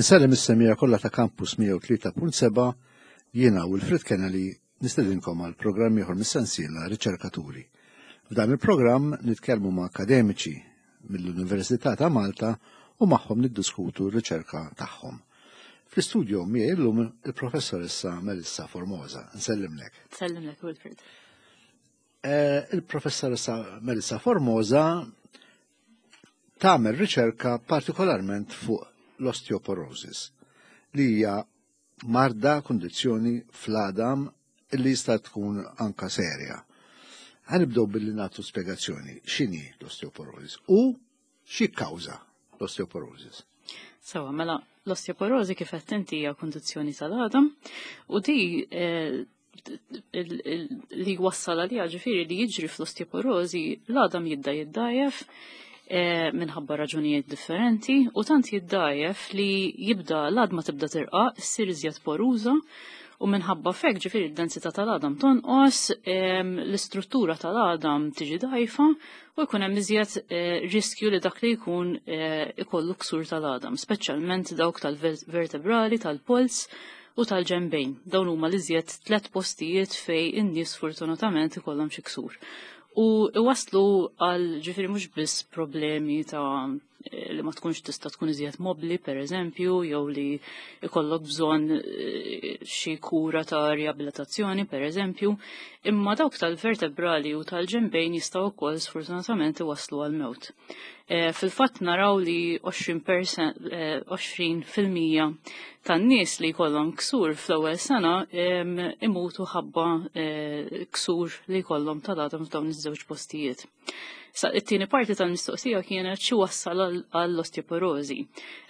Insellem is-semija kollha ta' Campus 103.7 jiena Wilfred Kennedy nistedinkom għal programm ieħor mis-sensiela Riċerkaturi. F'dan il-programm nitkellmu ma' akademiċi mill-Università ta' Malta u magħhom niddiskutu r-riċerka tagħhom. Fl-istudio miegħi llum il-professoressa Melissa Formosa. Nsellimlek. Nsellimlek, Wilfred. Eh, il-professoressa Melissa Formosa tagħmel riċerka partikolarment fuq l-osteoporosis li hija marda kundizzjoni fl-għadam li jista' tkun anka serja. Ħanibdew billi nagħtu spjegazzjoni x'inhi l-osteoporosis u xi kkawża l-osteoporosis. Sewa, mela l-osteoporosi kif qed inti hija kundizzjoni tal-għadam u di eh, li wassal għalija ġifiri li jiġri fl-osteoporosi l-għadam jibda jiddajef eh, minħabba raġunijiet differenti u tant jiddajef li jibda l-għadma tibda tirqa, ssir iżjed poruża u minħabba fek ġifiri d-densità tal-għadam tonqos, l-istruttura tal-għadam tiġi dajfa u jkun hemm iżjed eh, riskju li dak li jkun eh, ikollu ksur tal-għadam, speċjalment dawk tal-vertebrali, tal-pols u tal-ġenbejn. Dawn huma l-iżjed tlet postijiet fej in-nies fortunatament ikollhom xi ksur. U iwaslu għal ġifieri mhux biss problemi ta' li ma tkunx tista' tkun iżjed mobbli per eżempju, jew li ikollok bżonn eh, xi kura ta' riabilitazzjoni per eżempju, imma dawk tal-vertebrali u tal-ġenbejn jistgħu wkoll sfortunatament iwasslu għal mewt. Eh, fil-fatt naraw li 20 fil-mija tan-nies li jkollhom ksur fl-ewwel sena imutu ħabba eh, ksur li jkollhom tal-għadam f'dawn iż-żewġ postijiet. Sa it-tieni parti tal-mistoqsija kienet xi wassal għall-osteoporożi.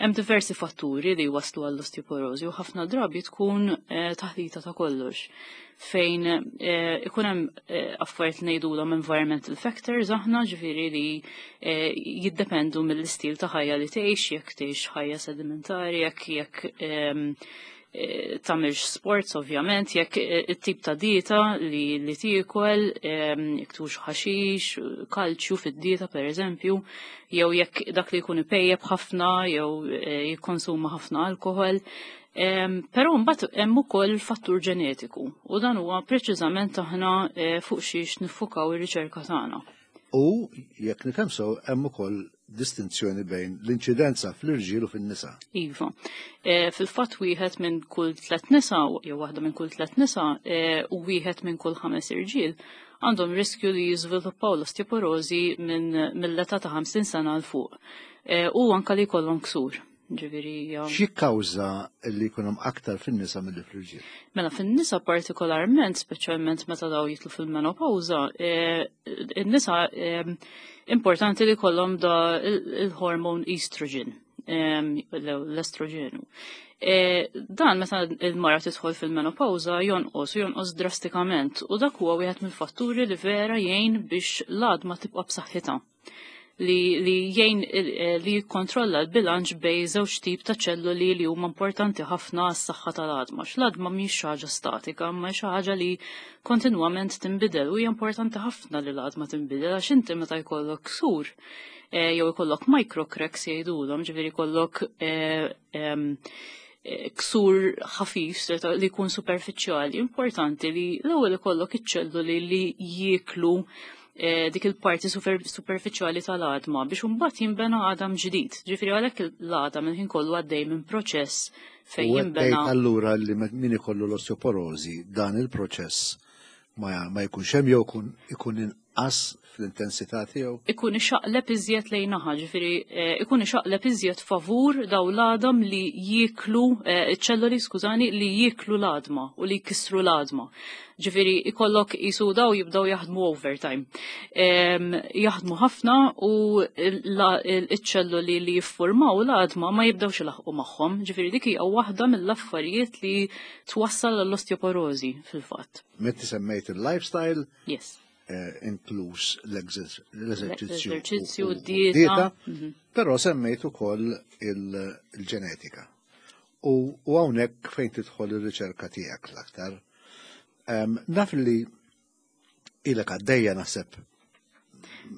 Hemm diversi fatturi li waslu għall-osteoporożi u ħafna drabi tkun eh, taħlita ta' kollox fejn eh, ikun hemm eh, affarijiet li ngħidulhom environmental factors aħna ġifieri li eh, jiddependu mill-istil ta' ħajja li tgħix, jekk tgħix ħajja sedimentari, jekk jekk ehm, tagħmilx sports ovvjament, jekk it-tip ta' dieta li li tiekol, ehm, jekk tux ħaxix, kalċju fid-dieta pereżempju, jew jekk dak li jkun ipejjeb ħafna jew jikkonsuma ħafna alkohol. Però mbagħad hemm ukoll fattur ġenetiku u dan huwa preċiżament aħna eh, fuq xiex niffukaw ir-riċerka tagħna. U jekk nifhem sew hemm ukoll distinzjoni bejn l-inċidenza fl-irġiel u fin-nisa. Iva. Eh, fil-fatt wieħed minn kull tliet nisa jew waħda minn kull tliet nisa eh, u wieħed minn kull ħames irġiel għandhom riskju li jiżviluppaw l-osteoporożi minn mill-età ta' 50 sena l fuq. U anka li jkollhom ksur. Ġifieri X'jikkawża li jkun hemm aktar fin-nisa milli fl-irġiel? Mela fin-nisa partikolarment, speċjalment meta daw jitlu fil-menopawża, eh, in-nisa eh, importanti li jkollhom da il-hormone estrogen, eh, l-estroġenu. Dan meta il-mara tidħol fil-menopawża jonqos u jonqos drastikament u dak huwa wieħed mill-fatturi li vera jgħin biex l-għadma tibqa' b'saħħitha li, li jgħin eh, li jikkontrolla l-bilanċ bej żewġ tip ta' ċelluli li huma importanti ħafna għas-saħħa tal-għadma. X'l-għadma mhix xi ħaġa statika, ma xi ħaġa li kontinwament tinbidel u hija importanti ħafna li l-għadma tinbidel għax inti meta jkollok ksur eh, jew ikollok microcracks jgħidulhom, ġifieri jkollok eh, ksur ħafif li jkun superfiċjali, importanti li l-ewwel ikollok iċ-ċelluli li jieklu eh, dik il-parti superfiċjali tal-għadma biex imbagħad jinbena għadam ġdid. Ġifieri għalhekk l-għadam il-ħin kollu għaddej minn proċess fejn jinbena. Allura li min ikollu l-osteoporożi dan il-proċess ma, ma jkunx hemm jew ikun inqas fl-intensità tiegħu? Ikun ixaqleb iżjed lejn naħa, ġifieri eh, ikun ixaqleb iżjed favur daw l-għadam li jieklu eh, ċelloli skużani li jieklu l-għadma u li jkissru l-għadma. Ġifieri ikollok isu daw jibdew jaħdmu overtime. Jaħdmu ħafna u l-ċelloli li jiffurmaw l-għadma ma jibdewx ilaħqu magħhom. Ġifieri dik hija waħda mill-affarijiet li twassal għall-osteoporożi fil-fatt. Meta semmejt il-lifestyle, yes. Eh, inkluż l-eżerċizzju. L-eżerċizzju, dieta. Mhm. Però semmejt ukoll il-ġenetika. U hawnhekk fejn tidħol ir-riċerka tiegħek l-aktar. Naf li ilek għaddejja naħseb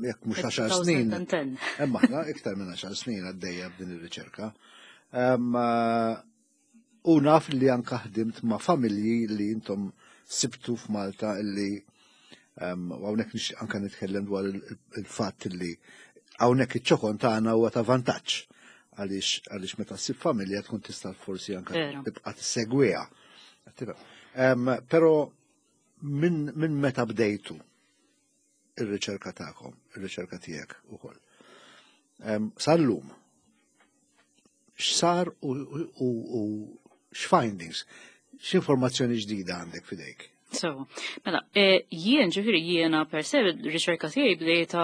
jekk mhux 10 snin. Hemm aħna iktar minn 10 snin għaddejja b'din ir-riċerka. U naf li anka ħdimt ma' familji li intom sibtu f'Malta illi u hawnhekk nixtieq anka nitkellem dwar il-fatt li hawnhekk iċ-ċokon tagħna huwa ta' vantaġġ għaliex meta ssib familja tkun tista' forsi anka tibqa' tissegwiha. Però minn meta bdejtu ir-riċerka tagħkom, ir-riċerka tiegħek ukoll. Sal-lum, x'sar u x'findings, x'informazzjoni ġdida għandek f'idejk? So, mela, jien ġifieri jiena per se riċerka tiegħi bdejta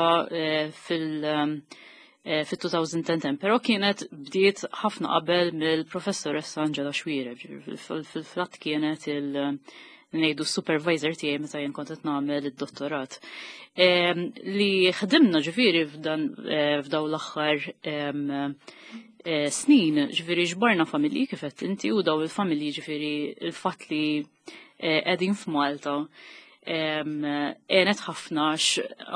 fil-2010, però kienet bdiet ħafna qabel mill-professoressa Angela Xuereb, fil-fatt kienet il- ngħidu supervisor tiegħi meta jien kont qed nagħmel id-dottorat. Li ħdimna ġifieri f'daw l-aħħar snin, ġifieri ġbarna familji kif qed inti u daw il-familji ġifieri il-fatt li qegħdin f'Malta għenet ħafna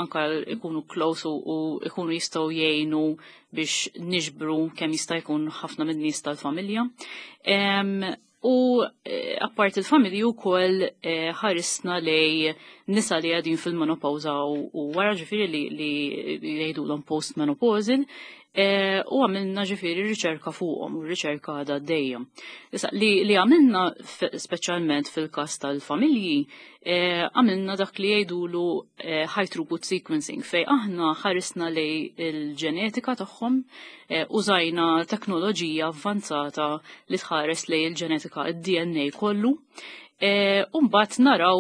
anka ikunu close u ikunu jistgħu jgħinu biex niġbru kemm jista' jkun ħafna minn nies tal-familja. U apart il-familji wkoll ħarisna lej nisa li qegħdin fil-menopawza u wara ġifieri li jgħidulhom post-menopausal u għamilna ġifieri riċerka fuqhom u riċerka għadha dejjem. Issa li għamilna speċjalment fil-każ tal-familji għamilna dak li jgħidulu high throughput sequencing fej aħna ħarisna lej il-ġenetika tagħhom, użajna teknoloġija avvanzata li tħares lej il-ġenetika, id-DNA kollu. U mbagħad naraw,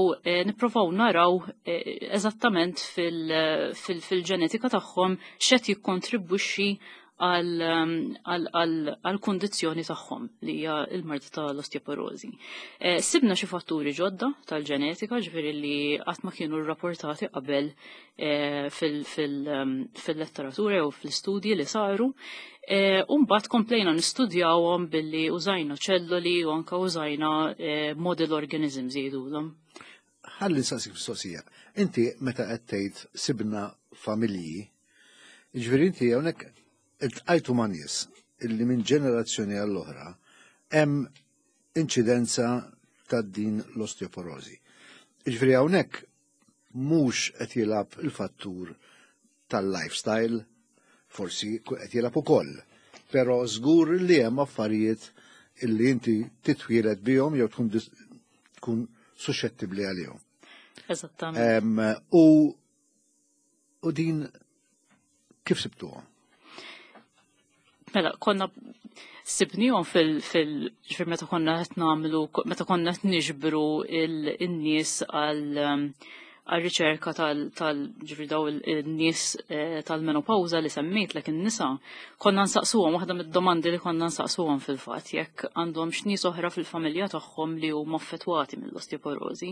nipprovaw naraw eżattament fil-ġenetika tagħhom x'qed jikkontribwixxi għal-kondizzjoni tagħhom li hija l-marda tal-osteoporosi. Sibna xi fatturi ġodda tal-ġenetika, ġifieri li qatt ma kienu rrapportati qabel fil-letteratura u fl-istudji li saru. U mbagħad komplejna nistudjawhom billi użajna ċelloli u anka użajna model organisms jgħidulhom. Ħalli nsaqsik mistoqsija. Inti meta qed tgħid sibna familji, jiġifieri inti hawnhekk iltqajtu ma' nies illi minn ġenerazzjoni għall-oħra hemm inċidenza ta' din l-osteoporosi. Jiġifieri hawnhekk mhux qed jilgħab il-fattur tal-lifestyle, forsi qed jilgħab ukoll, però żgur li hemm affarijiet illi inti titwieled bihom jew tkun suscettibbli għalihom. Eżattament. U din kif sibtuhom? Mela, konna sibnihom ġifier meta konna qed nagħmlu, meta konna qed niġbru il-nies għal riċerka tal ġifier daw il-nies tal-menopawza li semmejt lek in-nisa, konna nsaqsuhom, waħda mid-domandi li konna nsaqsuhom fil-fatt jekk għandhom x'nies oħra fil-familja tagħhom li huma affettwati mill-osteoporosi.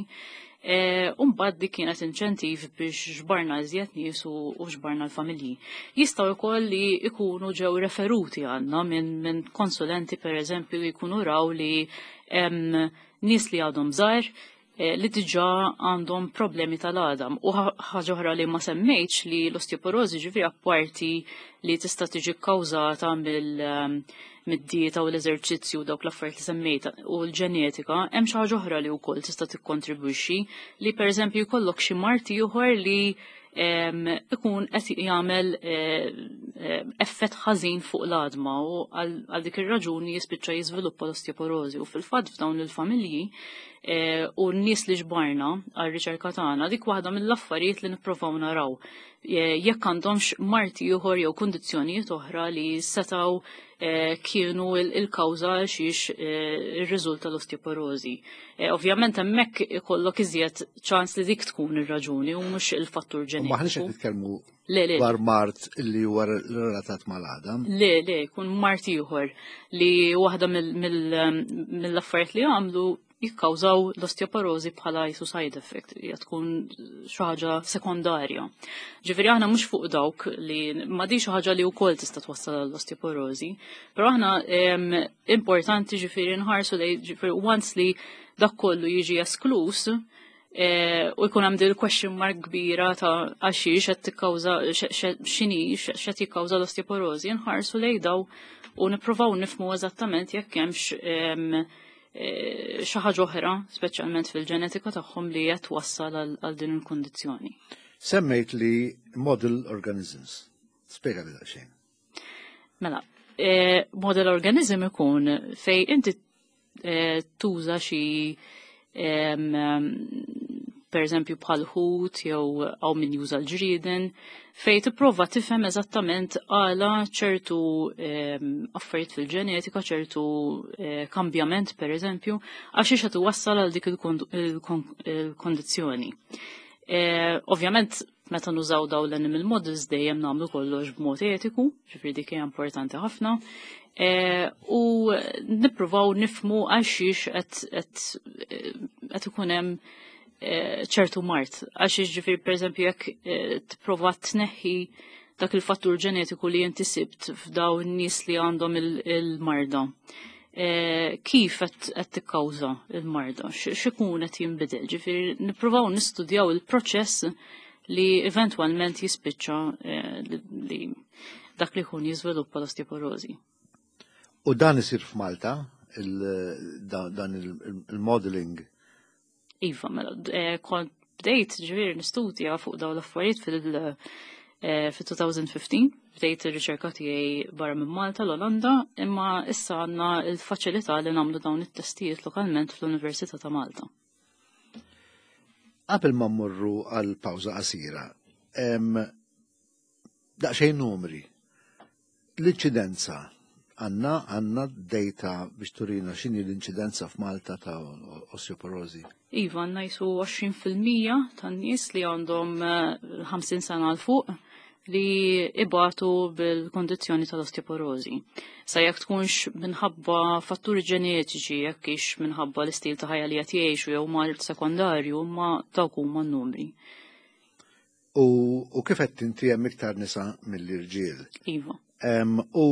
U mbagħad dik kienet inċentiv biex ġbarna iżjed nies u ġbarna l-familji. Jistgħu wkoll li jkunu ġew referuti għandna minn konsulenti, per eżempju, li jkunu raw li hemm nies li għadhom żgħar li diġà għandhom problemi tal-għadam. U ħaġa oħra li ma semmejtx li l-osteoporosi ġifieri apparti li tista' tiġi kkawżata mid-dieta u l-eżerċizzju, dawk l-affarijiet li semmejt, u l-ġenetika, hemm xi ħaġa oħra li wkoll tista' tikkontribwixxi li pereżempju jkollok xi mard ieħor li ikun qed jagħmel effett ħażin fuq l-għadma u għal dik ir-raġuni jispiċċa jiżviluppa l-osteoporosi. U fil-fatt f'dawn il-familji u n-nies li ġbarna għar-riċerka tagħna, dik waħda mill-affarijiet li nippruvaw naraw jekk għandhomx mard ieħor jew kundizzjonijiet oħra li setgħu kienu il-kawża xiex irriżulta l-osteoporosi. Ovvjament hemmhekk ikollok iżjed ċans li dik tkun ir-raġuni u mhux il-fattur ġenetiku. Maħniex qed nitkellmu Le, le. dwar mard li huwa relatat mal-għadam. Le, le, jkun mard ieħor li waħda mill-affarijiet li għamlu jikkawżaw l-osteoporosi bħala jisu side effect, hija tkun xi ħaġa sekondarja. Ġifieri aħna mhux fuq dawk li ma di xi ħaġa li wkoll tista' twassal l-osteoporosi, però aħna importanti ġifieri nħarsu li ġifieri once li dak kollu jiġi esklus, U jkun hemm dil question mark kbira ta' għaxiex qed tikkawża x'inhi x'qed jikkawża l-osteoporożi, nħarsu lejn daw u nippruvaw nifhmu eżattament jekk hemmx xi ħaġa oħra, speċjalment fil-ġenetika tagħhom li qed twassal għal din il-kundizzjoni. Semmejt li model organisms. Spjega li daqsxejn. Mela, model organism ikun fej inti tuża xi per eżempju bħal ħut jew għaw min juża l-ġrieden, fej tipprova tifhem eżattament għala ċertu affarijiet fil-ġenetika, ċertu kambjament per eżempju, għax qed iwassal għal dik il-kondizzjoni. Ovvjament, meta nużaw daw l-animal models dejjem nagħmlu kollox b'mod etiku, ġifieri dik hija importanti ħafna. U nippruvaw nifhmu għalxiex qed ikun hemm ċertu mard. Għax ġifieri pereżempju jekk tipprova tneħħi dak il-fattur ġenetiku li inti sibt f'daw in-nies li għandhom il-marda. Kif qed tikkawża il-marda? X'ikun qed jinbidel? Ġifieri nippruvaw nistudjaw il-proċess li eventwalment jispiċċa li dak li jkun jiżviluppa l-osteoporożi. U dan isir f'Malta, dan il-modeling? Iva, mela, kont bdejt ġifieri nistudja fuq dawn l-affarijiet fil-2015, bdejt ir-riċerka tiegħi barra minn Malta, l-Olanda, imma issa għandna l-faċilità li nagħmlu dawn it-testijiet lokalment fl-Università ta' Malta. Qabel ma mmorru għal pawża qasira, daqsxejn numri. L-inċidenza, għandna data biex turina x'inhi l-inċidenza f'Malta ta' osteoporożi? Iva, għandna jisu 20% tan-nies li għandhom 50 sena 'l fuq li ibatu bil-kondizzjoni tal-osteoporożi. Sa jekk tkunx minħabba fatturi ġenetiċi, jekk hix minħabba l-istil ta' ħajja li qed jgħixu jew mard sekondarju, ma dawk huma n-numri. U kif qed inti hemm iktar nisa mill-irġiel? Iva. U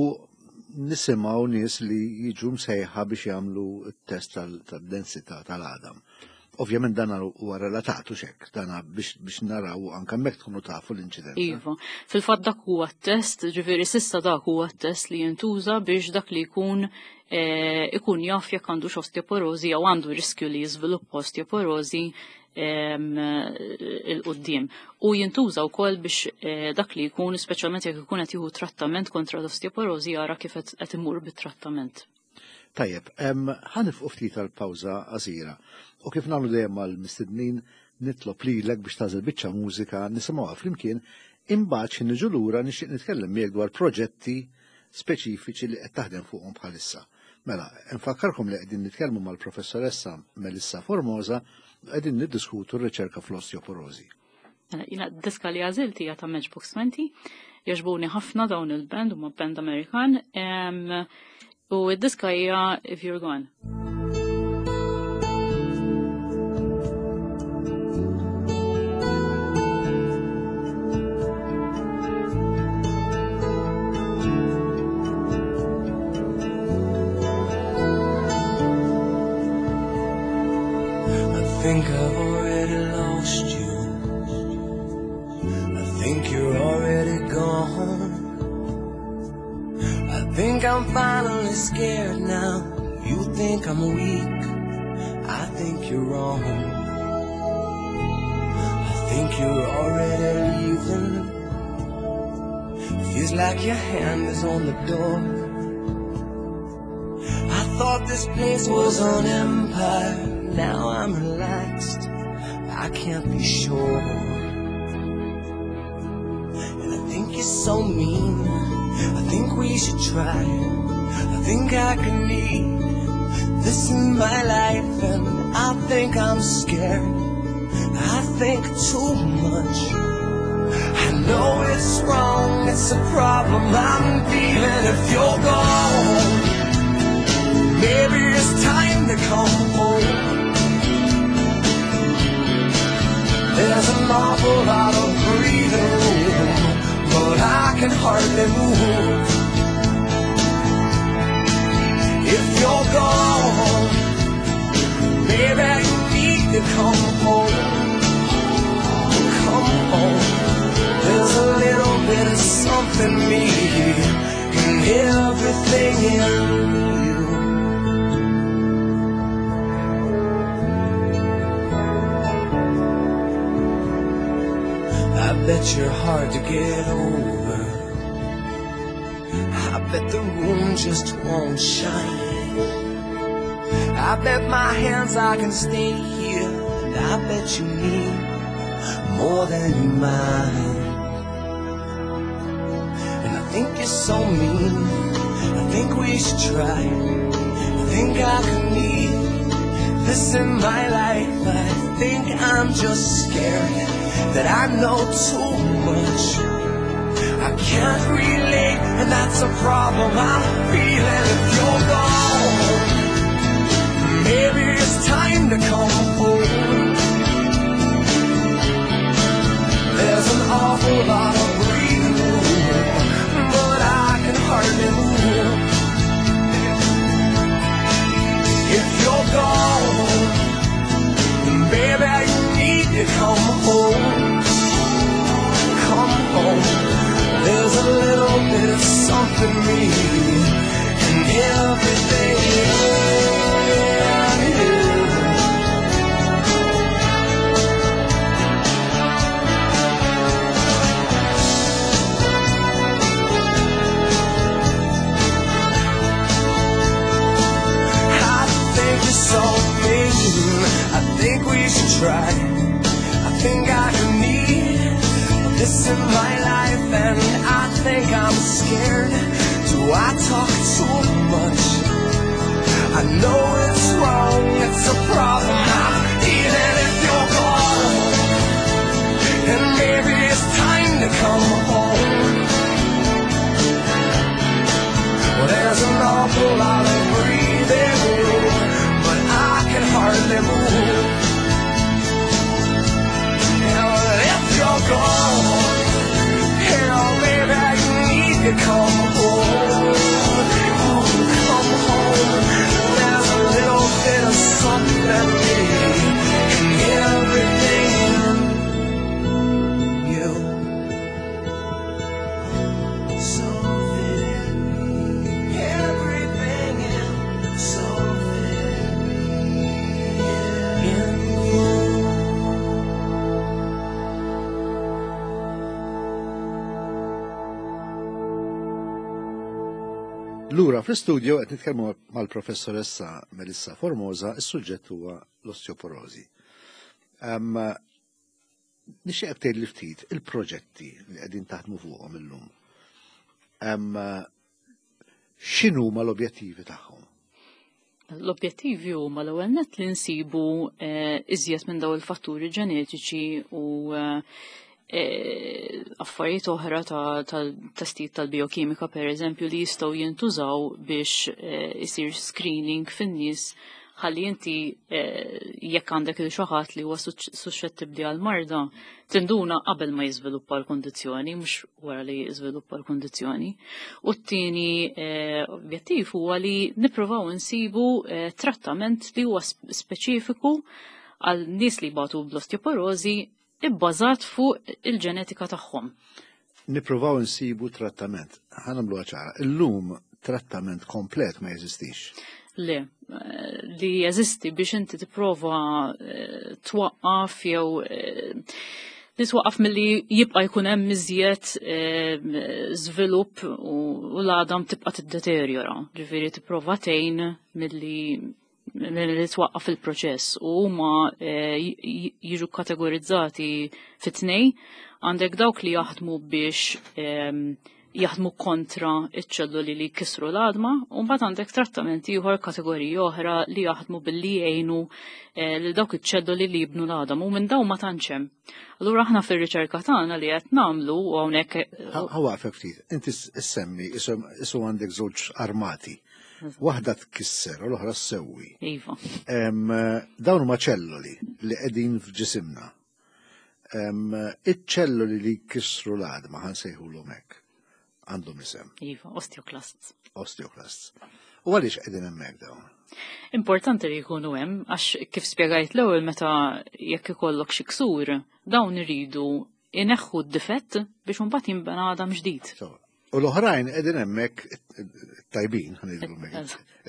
nisimgħu nies li jiġu msejħa biex jagħmlu t-test tad-densità tal-għadam. Ovvjament dan huwa relatat u xek, dan biex naraw anke hemmhekk tkunu tafu l-inċidenza. Iva, fil-fatt dak huwa t-test, ġifieri s'issa dak huwa t-test li jintuża biex dak li jkun jaf jekk għandux osteoporożi jew għandu riskju li jiżviluppa osteoporożi il-qoddim. U jintuża wkoll biex dak li jkun, speċjalment jekk ikun qed jieħu trattament kontra l-osteoporożi, jara kif qed imur bit-trattament. Tajjeb, ħa nieqfu ftit għal-pawża qasira. U kif nagħmlu dejjem mal-mistednin, nitlob lilek biex tagħżel biċċa mużika nisimgħuha flimkien, imbagħad xi niġu lura nixtieq nitkellem miegħek dwar proġetti speċifiċi li qed taħdem fuqhom bħalissa. Mela, nfakkarkom li qegħdin nitkellmu mal-professoressa Melissa Formosa, qegħdin niddiskutu r-riċerka fl-osteoporożi. Mela, jiena diska li għażilt hija ta' Matchbox 20, jogħġbuni ħafna dawn il-band, huma band Amerikan, u d-diska hija If You're Gone. I think I've already lost you. I think you're already gone. I think I'm finally scared now. You think I'm weak, I think you're wrong. I think you're already leaving. Feels like your hand is on the door. I thought this place was an empire. Now I'm relaxed, I can't be sure. And I think you're so mean. I think we should try. I think I can need this in my life. And I think I'm scared. I think too much. I know it's wrong, it's a problem I'm feeling. If you're gone, maybe it's time to come home. There's an awful lot of breathing room, but I can hardly move. If you're gone, maybe you need to come home. something me and everything in you. I bet you're hard to get over. I bet the room just won't shine. I bet my hands I can stay here, and I bet you need more than you mind. And I think you're so mean. I think we should try. I think I could need this in my life. I think I'm just scared that I know too much. I can't relate, and that's a problem I'm feeling if you're gone. Maybe it's time to come home. There's an awful lot of breathing room, but I can hardly move. If you're gone, baby, you need to come home. Come home. There's a little bit of something me and everything in you. I think you're so mean. I think we should try. I think I can need this in my life, and I think I'm scared. Do I talk too much? I know it's wrong, it's a problem. I'm feeling if you're gone, and maybe it's time to come home. Well, there's an awful lot of breathing room, but I can hardly move. Hell, if you're gone, hell, baby, you need to come home. Ooh, come home. There's a little bit of something me and everything in you. Something, everything in something in you. Lura fl-istudio qed nitkellmu mal-professoressa Melissa Formosa, is-suġġett huwa l-osteoporosi. Nixtieq tgħid li ftit il-proġetti li qegħdin taħdmu fuqhom illum. X'inhuma l-objettivi tagħhom? L-objettivi huma l-ewwel nett li nsibu iżjed minn dawn il-fatturi ġenetiċi u affarijiet oħra tal-testijiet tal-biokimika, per eżempju, li jistgħu jintużaw biex isir screening fin-nies ħalli inti jekk għandek il xi ħadd li huwa suscettibbli għal marda tinduna qabel ma jiżviluppa l-kondizzjoni, mhux wara li jiżviluppa l-kondizzjoni. U t-tieni objettiv huwa li nippruvaw insibu trattament li huwa speċifiku għal nies li jbatu bl-osteoporosi ibbażat fuq il-ġenetika tagħhom. Nippruvaw insibu trattament. Ħa nagħmluha ċara. Illum trattament komplet ma jeżistix. Le, li jeżisti biex inti tipprova twaqqaf jew li twaqqaf milli jibqa' jkun hemm iżjed żvilupp u l-għadam tibqa' tiddeteriora. Ġifieri tipprova tgħin milli twaqqaf il-proċess u huma jiġu kategorizzati fit-tnej. Għandek dawk li jaħdmu biex jaħdmu kontra iċ-ċelluli li jkissru l-għadma, u mbagħad għandek trattamenti ieħor, kategoriji oħra li jaħdmu billi jgħinu lil dawk iċ-ċelluli li jibnu l-għadam, u minn dawn ma tantx hemm. Allura aħna fir-riċerka tagħna li qed nagħmlu u hawnhekk Ħa waqfek ftit, inti ssemmi isu għandek żewġ armati. Waħda tkisser u l-oħra ssewwi. Iva. Dawn huma ċelluli li qegħdin f'ġisimna. Iċ-ċelluli li jkissru l-għadma ħa nsejħulhom hekk. Għandhom isem. Iva, osteoclasts. Osteoclasts. U għaliex qegħdin hemmhekk dawn? Importanti li jkunu hemm, għax kif spjegajt l-ewwel meta jekk ikollok xi ksur, dawn iridu ineħħu d-difett biex imbagħad jinbena għadam ġdid. U l-oħrajn qegħdin hemmhekk tajbin,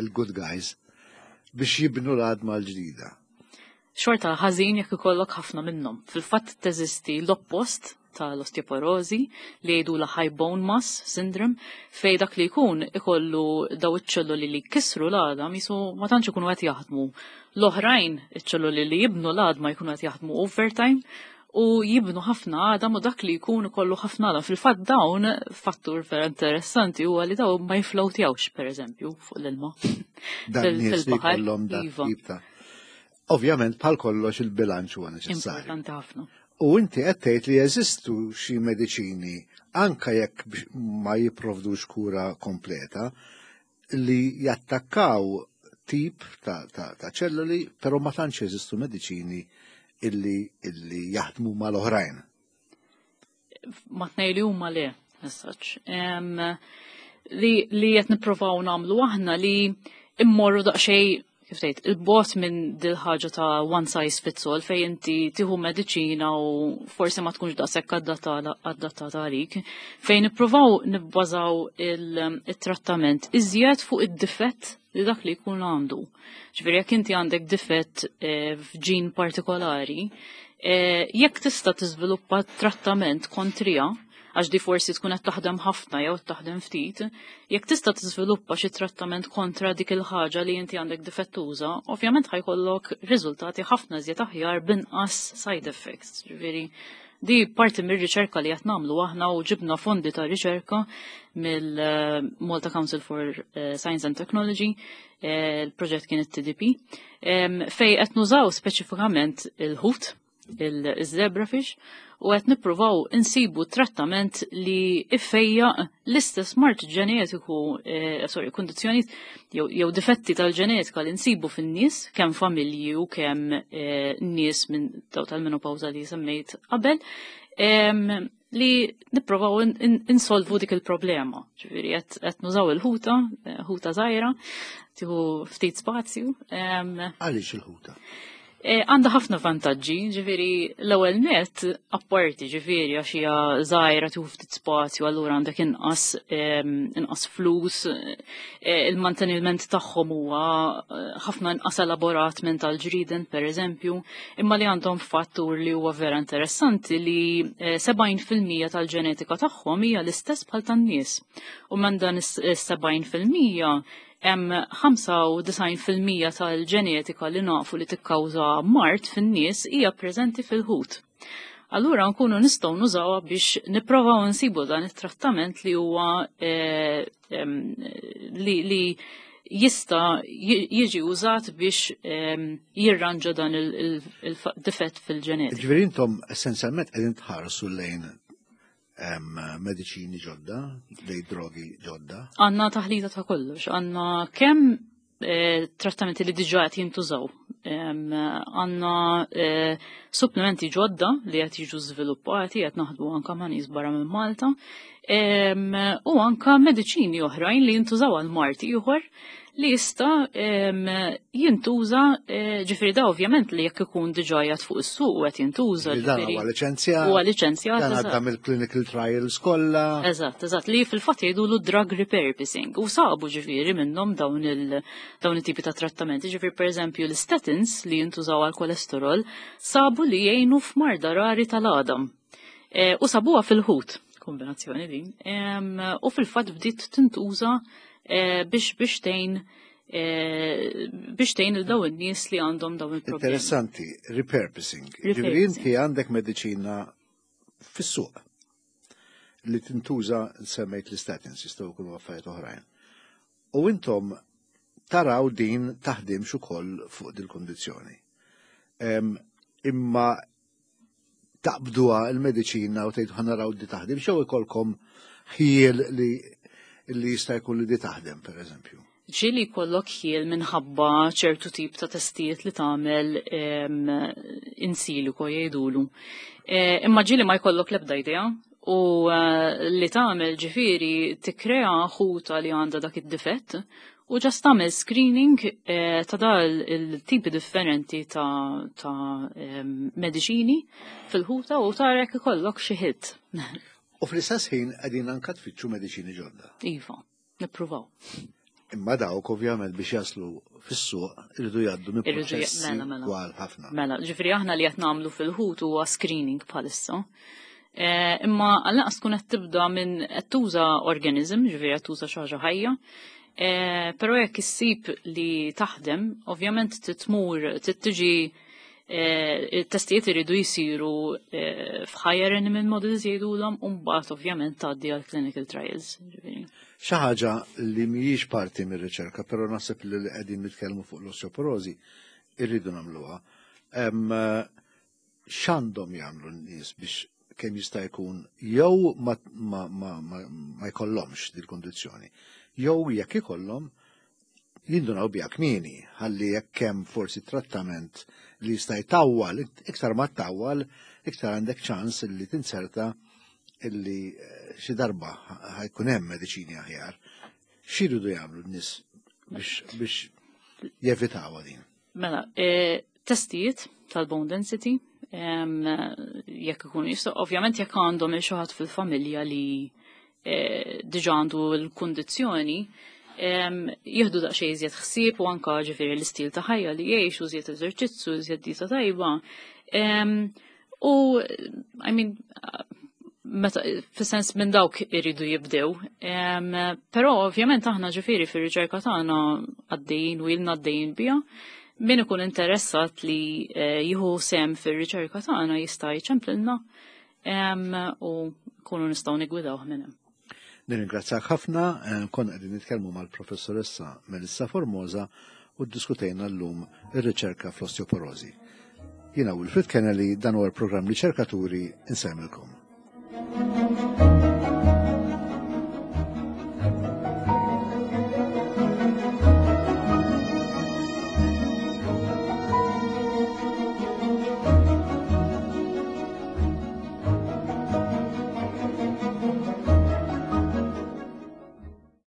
il-good guys, biex jibnu l-għadma l-ġdida. Xorta ħażin jekk ikollok ħafna minnhom. Fil-fatt teżisti l-oppost tal-osteoporosi li jgħidu la high bone mass syndrome, fej dak li jkun ikollu daw iċ-ċelluli li kisru l-għadam jisu ma tantx ikunu qed jaħdmu. L-oħrajn, iċ-ċelluli li jibnu l-għadma, jkunu qed jaħdmu overtime u jibnu ħafna għadam u dak li jkun ikollu ħafna għadam. Fil-fatt dawn, fattur vera interessanti huwa li dawn ma jiflowtjawx, per eżempju, fuq l-ilma. Dan nies li jkollhom dak iva. tip ta' Ovvjament, bħal kollox, il-bilanċ huwa neċessarju. Importanti ħafna. U inti qed tgħid li jeżistu xi mediċini, anka jekk ma jipprovdux kura kompleta, li jattakkaw tip ta' ċelluli, però ma tantx jeżistu mediċini illi jaħdmu mal-oħrajn. Ma tnej li huma le, as such. Li qed nippruvaw nagħmlu aħna li immorru daqsxejn, kif tgħid, il-bogħod minn dil ħaġa ta' one size fits all, fej inti tieħu mediċina u forsi ma tkunx daqshekk adattata għalik, fejn nippruvaw nibbażaw il-trattament iżjed fuq id-difett li dak li jkun għandu. Ġifieri jekk inti għandek difett f'ġin partikolari, jekk tista' tiżviluppa trattament kontrija, għax di forsi tkun qed taħdem ħafna jew taħdem ftit, jekk tista' tiżviluppa xi trattament kontra dik il-ħaġa li inti għandek difettuża, ovvjament ħa jkollok riżultati ħafna iżjed aħjar binqas side effects. Ġifieri di parti mir-riċerka li qed nagħmlu aħna u ġibna fondi ta' riċerka mill-Malta Council for Science and Technology, il-proġett kien it-TDP, fej qed nużaw speċifikament il-ħut, il-zebrafish, u qed nippruvaw insibu trattament li iffejja l-istess mard ġenetiku, sorry, kundizzjoni jew difetti tal-ġenetika li nsibu fin-nies, kemm familji u kemm nies minn daw tal-menopawza li semmejt qabel, li nipprovaw insolvu dik il-problema. Ġifieri qed nużaw il-ħuta, ħuta żgħira, tieħu ftit spazju. Għaliex il-ħuta? Għandha ħafna vantaġġi, ġifieri l-ewwel net, apparti ġifieri għax hija żgħira, tieħu ftit spazju, allura għandek inqas flus, il-manteniment tagħhom huwa ħafna inqas elaborat minn tal-ġriden, per eżempju, imma li għandhom fattur li huwa vera interessanti li 70% tal-ġenetika tagħhom hija l-istess bħal tan-nies. U minn dan is-70% hemm 95% tal-ġenetika li nafu li tikkawża mard fin-nies hija preżenti fil-ħut. Allura nkunu nistgħu nużawha biex nipprovaw nsibu dan it-trattament li huwa li jista' jiġi użat biex jirranġa dan il-difett fil-ġenetika. Ġifieri intom essenzjalment qegħdin tħarsu lejn mediċini ġodda, lejn drogi ġodda. Għandna taħlita ta' kollox, għandna kemm trattamenti li diġà qed jintużaw. Għandna supplementi ġodda li qed jiġu żviluppati, qed naħdmu anka ma' nies barra minn Malta, u anka mediċini oħrajn li jintużaw għal mard ieħor li jista' jintuża, ġifieri da ovvjament li jekk ikun diġà qiegħed fuq is-suq u qed jintuża. Dan ġifieri huwa liċenzjat. Huwa liċenzjat, Dan għadda mill-clinical trials kollha. Eżatt, li fil-fatt jgħidulu drug repurposing u sabu ġifieri minnhom dawn it-tipi ta' trattamenti. Ġifieri, pereżempju, l-statins li jintużaw għal kolesterol sabu li jgħinu f'marda rari tal-għadam. U sabuha fil-ħut, kombinazzjoni din. U fil-fatt bdiet tintuża biex tgħin il dawn in-nies li għandhom dawn il-problemi. Interessanti, repurposing. Repurposing. Ġifieri inti għandek mediċina fis-suq li tintuża, semmejt l-statins, jistgħu jkunu affarijiet oħrajn. U intom taraw din taħdimx ukoll fuq dil-kondizzjoni. Imma taqbduha il-mediċina u tgħidu ħa naraw di taħdem, xew ikolkom ħiel li jista' jkun li di taħdem, per eżempju? Ġieli jkollok ħiel minħabba ċertu tip ta' testijiet li tagħmel in silico jgħidulu. Imma ġieli ma jkollok l-ebda idea u li tagħmel ġifieri tikkrea ħuta li għandha dak id-difett. U just tagħmel screening ta' dal il-tipi differenti ta' mediċini fil-ħuta u tara jekk ikollok xi hit. U fl-istess ħin qegħdin anka tfittxu mediċini ġodda. Iva, nippruvaw. Imma dawk ovvjament biex jaslu fis-suq irridu jgħaddu minn proċessi mela, mela. twal ħafna. Mela, ġifieri aħna li qed nagħmlu fil-ħut huwa screening bħalissa. Imma għall-anqas tkun qed tibda minn qed tuża organism, ġifieri qed tuża xi ħaġa ħajja. Però jekk issib li taħdem, ovvjament titmur, tittiġi il-testijiet iridu jisiru f'higher animal models jgħidulhom u mbagħad ovvjament tgħaddi għal clinical trials. Ġifieri. Xi ħaġa li mhijiex parti mir-riċerka, però naħseb li qegħdin nitkellmu fuq l-osteoporosi irridu nagħmluha. X'għandhom jagħmlu n-nies biex kemm jista' jkun jew ma jkollhomx dil-kondizzjoni, jew jekk ikollhom jindunaw biha kmieni, ħalli jekk hemm forsi trattament li jista' jtawwal, iktar ma tawwal, iktar għandek ċans li tinserta illi xi darba ħajkun hemm mediċini aħjar. X'iridu jagħmlu n-nies biex jevitaw din? Mela, testijiet tal-bone density, jekk ikunu jistgħu, ovvjament jekk għandhom il xi ħadd fil-familja li diġà għandu l-kundizzjoni, jieħdu daqsxejn iżjed ħsieb u anka ġifieri l-istil ta' ħajja li jgħix u iżjed eżerċizzju, iżjed dieta tajba. U, I mean, meta, fis-sens minn dawk iridu jibdew. Però ovvjament aħna ġifieri fir-riċerka tagħna għaddejjin u ilna għaddejjin biha. Min ikun interessat li jieħu sem fir-riċerka tagħna jista' jċemplilna u kunu nistgħu nigwidawh minn hemm. Nirringrazzjak ħafna, konna qegħdin nitkellmu mal-professoressa Melissa Formosa u ddiskutejna llum ir-riċerka fl-osteoporosi. Jiena Wilfred Kennelly, dan huwa l-programm Riċerkaturi, insemmilkom.